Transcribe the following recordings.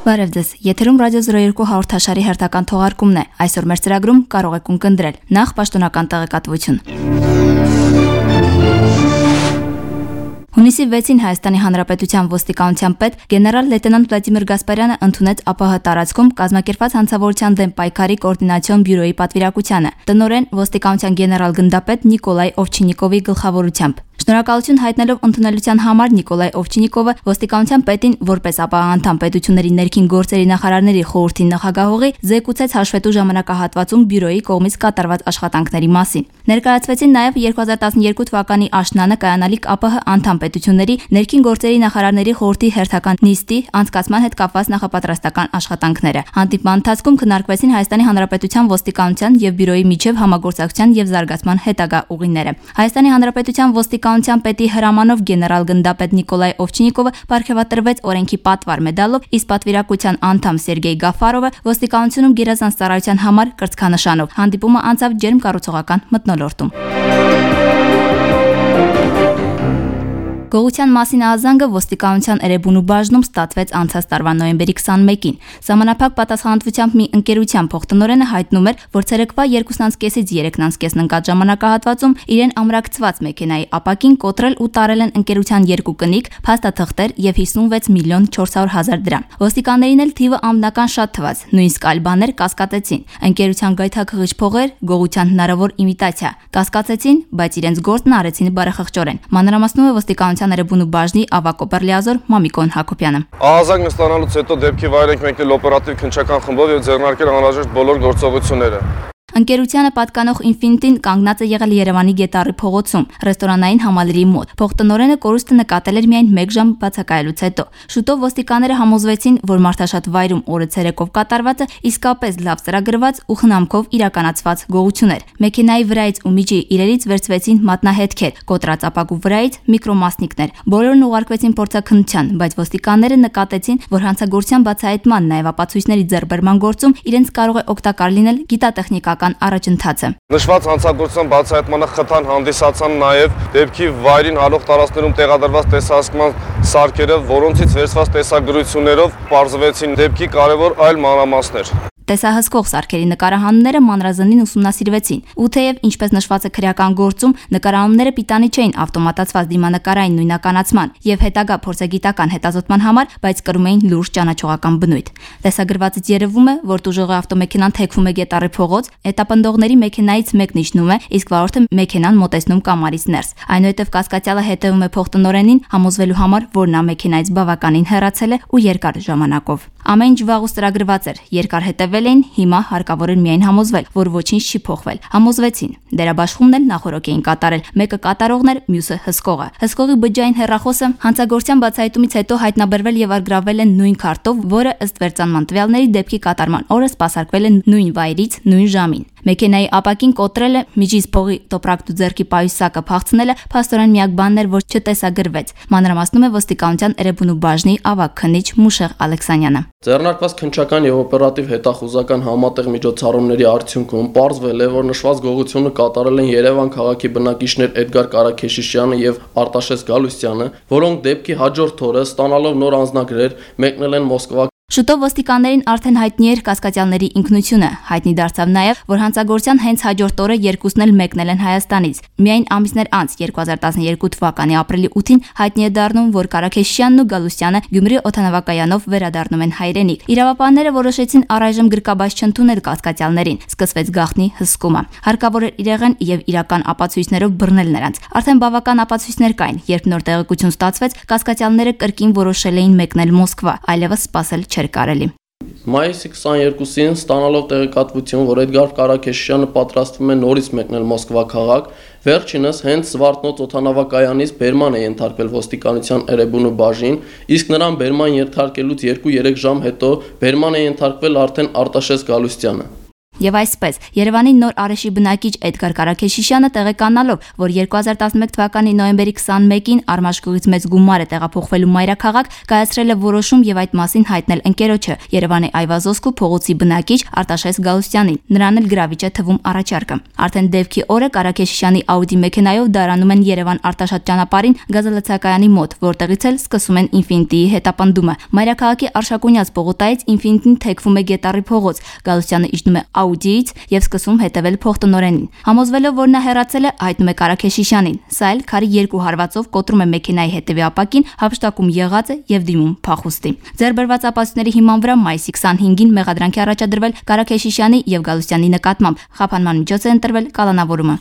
Բարև ձեզ, եթերում ռադիո 02 հաղորդաշարի հերթական թողարկումն է։ Այսօր մեր ծրագրում կարող եք ունկնդրել նախ պաշտոնական տեղեկատվություն։ Հունիսի 6-ին Հայաստանի Հանրապետության ոստիկանության պետ գեներալ լեյտենանտ Վլադիմիր Գասպարյանը ընդունեց ԱՊՀ տարածքում կազմակերպված հանցավորության դեմ պայքարի կոորդինացիոն բյուրոյի պատվիրակությանը։ Տնօրեն ոստիկանության գեներալ գնդապետ Նիկոլայ Օվչինիկովի գլխավորությամբ։ Շնորհակալություն հայտնելով ընդունելության համար Նիկոլայ Օվչինիկովը ոստիկանության պետին որպես ԱՊՀ անդամ պետությունների ներքին գործերի նախարարների խորհրդի նախագահողի զեկուցեց հաշվետու ժամանակահատվածում բյուրոյի կողմից կատարված աշխատանքների մասին։ Ներկայացվեցին նաև 2012 թվականի աշնանը կայանալիք ԱՊՀ անդամ պետությունների ներքին գործերի նախարարների խորհրդի հերթական նիստի անցկացման հետ կապված նախապատրաստական աշխատանքները։ Հանդիպման ընթացքում քննարկվեցին Հայաստանի Հանրապետության ոստիկանության եւ բյուրոյի միջև համագործակցության եւ զարգացման հետագա ուղիները։ Հայաստանի Հանրապետության ոստիկանության պետի հրամանով գեներալ գնդապետ Նիկոլայ Օվչինիկովը պարգևատրվեց օրենքի պատվար մեդալով, իսկ պատվիրակության անդամ Սերգեյ Գաֆարովը ոստիկանությունում գերազանց ծառայության համար կրծքանշանով։ Հանդիպումը անցավ ջերմ կառուցողական մթնոլորտում։ Գողության մասին ահազանգը ոստիկանության Էրեբունու բաժնում ստացվեց անցած տարվա նոյեմբերի 21-ին։ Սահմանափակ պատասխանատվությամբ մի ընկերության փոխտնօրենը հայտնում էր, որ ցերեկվա 2:30-ից 3:30 ընկած ժամանակահատվածում իրեն ամրակցված մեքենայի ապակին կոտրել ու տարել են ընկերության երկու կնիկ, փաստաթղթեր եւ 56 միլիոն 400 հազար դրամ։ Ոստիկաններին էլ թիվը ամբնական շատ թվաց, նույնիսկ այլ բաներ կասկածեցին։ Ընկերության գայթակղիչ փողեր, գողության հնարավոր իմիտացիա կասկածեցին, բայց իրենց գործն արեցին բարեխղճորեն։ Մանրամասնում է ոստիկանության Էրեբունու բաժնի ավագ օպերլիազոր Մամիկոն Հակոբյանը։ Ահազանգ ստանալուց հետո դեպքի վայր ենք մեկնել օպերատիվ քննչական խմբով եւ ձեռնարկել անհրաժեշտ բոլոր գործողությունները։ Ընկերությանը պատկանող Ինֆինիտին կանգնած է եղել Երևանի Գետառի փողոցում, ռեստորանային համալիրի մոտ։ Փոխտնօրենը կորուստը նկատել էր միայն 1 ժամ բացակայելուց հետո։ Շուտով ոստիկանները համոզվեցին, որ մարդաշատ վայրում օրը ցերեկով կատարվածը իսկապես լավ ծրագրված ու խնամքով իրականացված գողություն էր։ Մեքենայի վրայից ու միջի իրերից վերցվեցին մատնահետքեր, կոտրած ապակու վրայից միկրոմասնիկներ։ Բոլորն ուղարկվեցին փորձաքննության, բայց ոստիկանները նկատեցին, որ հանցագործության բացահայտման նաև ապացույցների ձեռբերման գործում իրենց կարող է օգտակար լինել գիտատեխնիկական առաջընթացը։ Նշված հանցագործության բացահայտմանը խթան հանդիսացան նաև դեպքի վայրին հալող տարածքներում տեղադրված տեսահսկման սարքերը, որոնցից վերցված տեսագրություններով պարզվեցին դեպքի կարևոր այլ մանրամասներ։ Տեսահսկող սարքերի նկարահանումները մանրազնին ուսումնասիրվեցին, ու թեև ինչպես նշված է քրեական գործում, նկարահանումները պիտանի չէին ավտոմատացված դիմանկարային նույնականացման եւ հետագա փորձագիտական հետազոտման համար, բայց կրում էին լուրջ ճանաչողական բնույթ։ Տեսագրվածից երևում է, որ տուժողի ավտոմեքենան թեքվում է Գետառի փողոց, հետապնդողների մեքենայից մեկն իջնում է, իսկ վարորդը մեքենան մոտեցնում կամարից ներս։ Այնուհետև կասկածյալը հետևում է փոխտնօրենին, համոզվելու համար, որ նա մեքենայից բավականին հեռացել է ու երկար ժամանակով։ Ամեն ինչ վաղուց ծրագրված էր, երկար հետևել էին, հիմա հարկավոր էր միայն համոզվել, որ ոչինչ չի փոխվել։ Համոզվեցին։ Դերաբաշխումն էլ նախորոք էին կատարել։ Մեկը կատարողն էր, մյուսը հսկողը։ Հսկողի բջջային հեռախոսը հանցագործության բացահայտումից հետո հայտնաբերվել եւ արգրավել են նույն քարտով, որը ըստ վերծանման տվյալների դեպքի կատարման օրը սպասարկվել է նույն վայրից, նույն ժամին։ Մեքենայի ապակին կոտրելը, միջից փողի տոպրակտու ձեռքի պայուսակը փախցնելը փաստորեն միակ բանն էր, որ չտեսագրվեց։ Մանրամասնում է ոստիկանության Էրեբունու բաժնի ավագ քննիչ Մուշեղ Ալեքսանյանը։ Ձեռնարկված քննչական եւ օպերատիվ հետախուզական համատեղ միջոցառումների արդյունքում պարզվել է, որ նշված գողությունը կատարել են Երևան քաղաքի բնակիչներ Էդգար Կարաքեշիշյանը եւ Արտաշես Գալուստյանը, որոնք դեպքի հաջորդ օրը ստանալով նոր անձնագրեր մեկնել են Մոսկվա։ Շուտով ոստիկաններին արդեն հայտնի էր կասկածյալների ինքնությունը։ Հայտնի դարձավ նաև, որ հանցագործության հենց հաջորդ օրը երկուսն էլ մեկնել են Հայաստանից։ Միայն ամիսներ անց 2012 թվականի ապրիլի 8-ին հայտնի է դառնում, որ Կարաքեշյանն ու Գալուստյանը Գյումրի օդանավակայանով վերադառնում են հայրենիք։ Իրավապահները որոշեցին առայժմ գրկաբաց չընդունել կասկածյալներին։ Սկսվեց գաղտնի հսկումը։ Հարկավոր էր իրեղեն եւ իրական ապացույցներով բռնել նրանց։ Արդեն բավական ապացույցներ կային, երբ նոր տեղեկություն ստացվեց, կասկածյալները կրկին որոշել էին մեկնել Մոսկվա, այլևս սպասել չէր կարելի։ Մայիսի 22-ին ստանալով տեղեկատվություն, որ Էդգար Կարաքեշյանը պատրաստվում է նորից մեկնել Մոսկվա քաղաք, վերջինս հենց Զվարթնոց օդանավակայանից բերման է ենթարկվել ոստիկանության Էրեբունու բաժին, իսկ նրան բերման ենթարկելուց 2-3 ժամ հետո բերման է ենթարկվել արդեն Արտաշես Գալուստյանը։ Եվ այսպես, Երևանի Նոր Արեշի բնակիչ Էդգար Կարաքեշիշյանը տեղեկանալով, որ 2011 թվականի նոյեմբերի 21-ին Արմաշկուղից մեծ գումար է տեղափոխվելու մայրաքաղաք, կայացրել է որոշում եւ այդ մասին հայտնել ընկերոջը Երևանի Այվազոսկու փողոցի բնակիչ Արտաշես Գալուստյանին։ Նրան էլ գրավիչ է թվում առաջարկը։ Արդեն դեպքի օրը Կարաքեշիշյանի Audi մեքենայով դարանում են Երևան Արտաշատ ճանապարհին գազալցակայանի մոտ, որտեղից էլ սկսում են Ինֆինիտիի հետապնդումը։ Մայրաքաղաքի Արշակունյաց պողոտայից Ինֆինիտին թեքվում է Գետառի փողոց։ Գալուստյանը իջնում է Audi-ից եւ սկսում հետևել փոխտնօրենին։ Համոզվելով, որ նա հեռացել է, հայտնում է Կարաքեշիշյանին։ Սա էլ քարի 2 հարվածով կոտրում է մեքենայի հետևի ապակին, հափշտակում եղած է եւ դիմում փախուստի։ Ձեռբերված ապացույցների հիման վրա մայիսի 25-ին մեղադրանքի առաջադրվել Կարաքեշիշյանի եւ Գալուստյանի նկատմամբ։ Խափանման միջոց է ընտրվել կալանավորումը։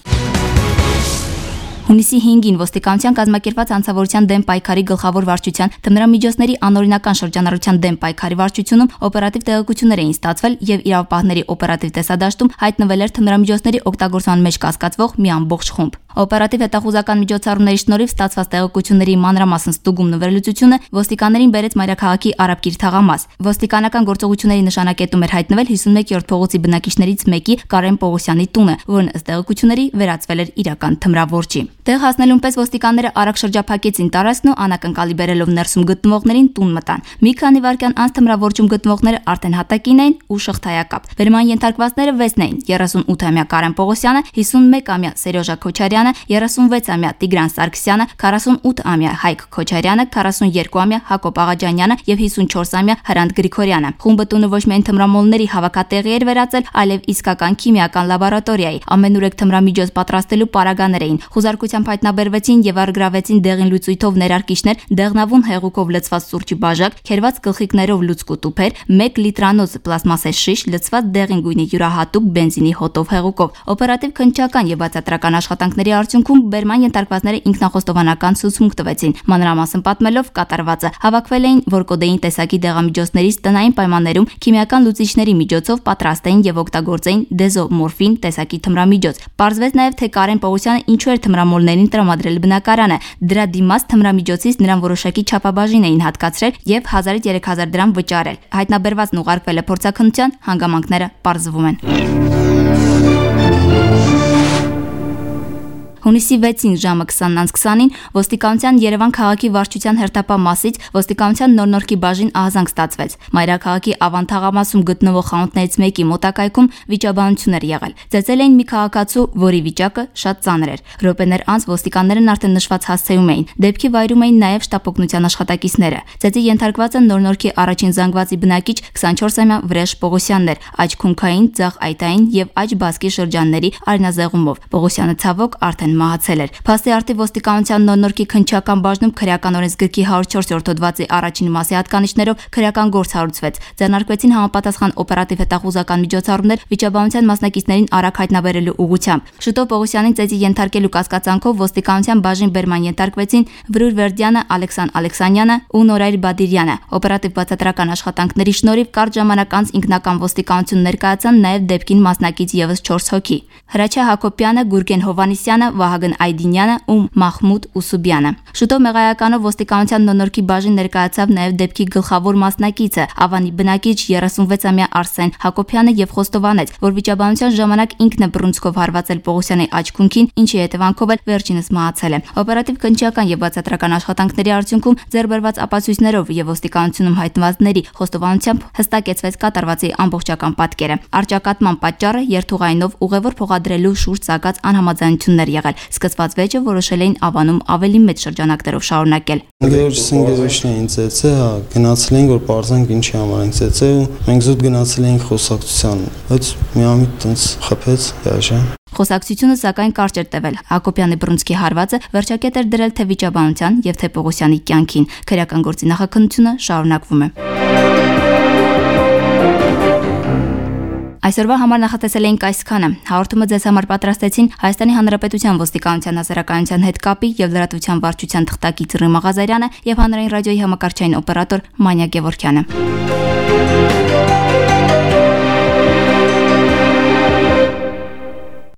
Հունիսի 5-ին ոստիկանության կազմակերպված անձնավորության դեմ պայքարի գլխավոր վարչության թմրամիջոցների անօրինական շրջանառության դեմ պայքարի վարչությունում օպերատիվ տեղեկություններ էին ստացվել եւ իրավապահների օպերատիվ տեսադաշտում հայտնվել էր թմրամիջոցների օգտագործման մեջ կասկածվող մի ամբողջ խումբ։ Օպերատիվ հետախուզական միջոցառումների շնորհիվ ստացված տեղեկությունների մանրամասն ստուգումն ու վերլուծությունը ոստիկաններին բերեց Մայրաքաղաքի Արաբկիր թաղամաս։ Ոստիկանական գործողությունների նշանակետում էր հայտնվել 51-րդ փողոցի բնակիչներից մեկի Կարեն Պողոսյանի տունը, որն ըստ տեղեկությունների վերածվել էր իրական թմրավորչի։ Տեղ հասնելուն պես ոստիկանները արագ շրջափակեցին տարածքն ու անակնկալի բերելով ներսում գտնվողներին տուն մտան։ Մի քանի վայրկյան անց թմրավորչում գտնվողները արդեն հատակին էին ու շղթայակապ։ Վերման ենթարկվածները 6-ն էին՝ 38-ամյա Կարեն Պողոսյանը, 51-ամյա Սերյոժա Քոչարյանը, 36-ամյա Տիգրան Սարգսյանը, 48-ամյա Հայկ Քոչարյանը, 42-ամյա Հակոբ Աղաջանյանը եւ 54-ամյա Հրանտ Գրիգորյանը։ Խումբը տունը ոչ միայն թմրամոլների հավաքատեղի էր վերածել, այլև իսկական քիմիական լաբորատորիայի։ Ամենուրեք թմրամիջոց պատրաստելու պարագաներ էին։ Խուզարկությամբ հայտնաբերվեցին եւ առգրավեցին դեղին լուծույթով ներարկիչներ, դեղնավուն հեղուկով լցված սուրճի բաժակ, քերված գլխիկներով լուցկու տուփեր, 1 լիտրանոց պլաստմասե շիշ, լցված դեղին գույնի յուրահատուկ բենզինի հոտով հեղուկով։ Օպերատիվ քննչական եւ բացատրական աշխատանքների արդյունքում բերման ենթարկվածները ինքնախոստովանական ցուցմունք տվեցին։ Մանրամասն պատմելով կատարվածը հավաքվել էին, որ կոդեին տեսակի դեղամիջոցներից տնային պայմաններում քիմիական լուծիչների միջոցով պատրաստեին եւ օգտագործեին դեզոմորֆին տեսակի թմրամիջոց։ Պարզվեց նաեւ, թե Կարեն Պողոսյանը ինչու էր թմրամոլներին տրամադրել բնակարանը։ Դրա դիմաց թմրամիջոցից նրան որոշակի չափաբաժին էին հատկացրել եւ 1000-ից 3000 դրամ վճարել։ Հայտնաբերվածն ուղարկվել է փորձաքննության, հանգամանքները պարզվում են։ Հունիսի 6-ին ժամը 20:20-ին ոստիկանության Երևան քաղաքի վարչության հերթապահ մասից ոստիկանության նոր-նորքի բաժին ահազանգ ստացվեց։ Մայրաքաղաքի Ավան թաղամասում գտնվող խանութներից մեկի մոտակայքում վիճաբանություն էր եղել։ Ծեծել էին մի քաղաքացու, որի վիճակը շատ ծանր էր։ Րոպեներ անց ոստիկաններն արդեն նշված հասցեում էին։ Դեպքի վայրում էին նաև շտապօգնության աշխատակիցները։ Ծեծի ենթարկվածը նոր-նորքի առաջին զանգվածի բնակիչ 24-ամյա Վրեժ Պողոսյանն էր, աջ քունքային, ձախ այտային եւ աջ բասկի շրջանների արյունազեղումով։ Պողոսյանը ցավոք արդեն մահացել էր։ Փաստի արդի ոստիկանության նոր-նորքի քննչական բաժնում քրեական օրենսգրքի 104-րդ հոդվածի առաջին մասի հատկանիշներով քրեական գործ հարուցվեց։ Ձեռնարկվեցին համապատասխան օպերատիվ հետախուզական միջոցառումներ վիճաբանության մասնակիցներին արագ հայտնաբերելու ուղղությամբ։ Շուտով Պողոսյանին ծեծի ենթարկելու կասկածանքով ոստիկանության բաժին բերման ենթարկվեցին Վրուր Վերդյանը, Ալեքսան Ալեքսանյանը ու Նորայր Բադիրյանը։ Օպերատիվ բացատրական աշխատանքների շնորհիվ կարճ ժամանակ անց ինքնական ոստիկանություն ներկայացան նաև դեպքին մասնակից եւս 4 հոգի։ Հրաչյա Հակոբյանը, Գուրգեն Հովանիսյանը, Վահագն Այդինյանը ու Մախմուդ Ուսուբյանը։ Շուտով մեղայականով ոստիկանության նոր-նորքի բաժին ներկայացավ նաև դեպքի գլխավոր մասնակիցը Ավանի բնակիչ 36-ամյա Արսեն Հակոբյանը եւ խոստովանեց, որ վիճաբանության ժամանակ ինքն է բռունցքով հարվածել Պողոսյանի աչքունքին, ինչի հետևանքով էլ վերջինս մահացել է։ Օպերատիվ քննչական եւ բացատրական աշխատանքների արդյունքում ձեռբերված ապացույցներով եւ ոստիկանությունում հայտնվածների խոստովանությամբ հստակեցվեց կատարվածի ամբողջական պատկերը։ Արճակատման պատճառը երթուղայինով ուղևոր փոխադրելու շուրջ ցակած անհամաձայնություններ եղել։ Սկսված վեճը որոշել էին Ավանում ավելի մեծ շրջանակներով շարունակել։ Գերոջին ծեծե, հա, գնացել ենք որ բարձանք ինչի համար ենք ծեծե ու մենք զուտ գնացել ենք խոսակցության, բայց միամիտ տենց խփեց դաշա։ Խոսակցությունը սակայն կարճ էր տևել։ Հակոբյանի բռունցքի հարվածը վերջակետ էր դրել թե վիճաբանության եւ թե Պողոսյանի կյանքին։ Քրեական գործի նախաքննությունը շարունակվում է։ Այսօրվա համար նախատեսել էինք այսքանը։ Հաղորդումը ձեզ համար պատրաստեցին Հայաստանի Հանրապետության ոստիկանության հասարակայնության հետ կապի եւ լրատվության վարչության թղթակից Ռիմ Աղազարյանը եւ հանրային ռադիոյի համակարգչային օպերատոր Մանյա Գևորգյանը։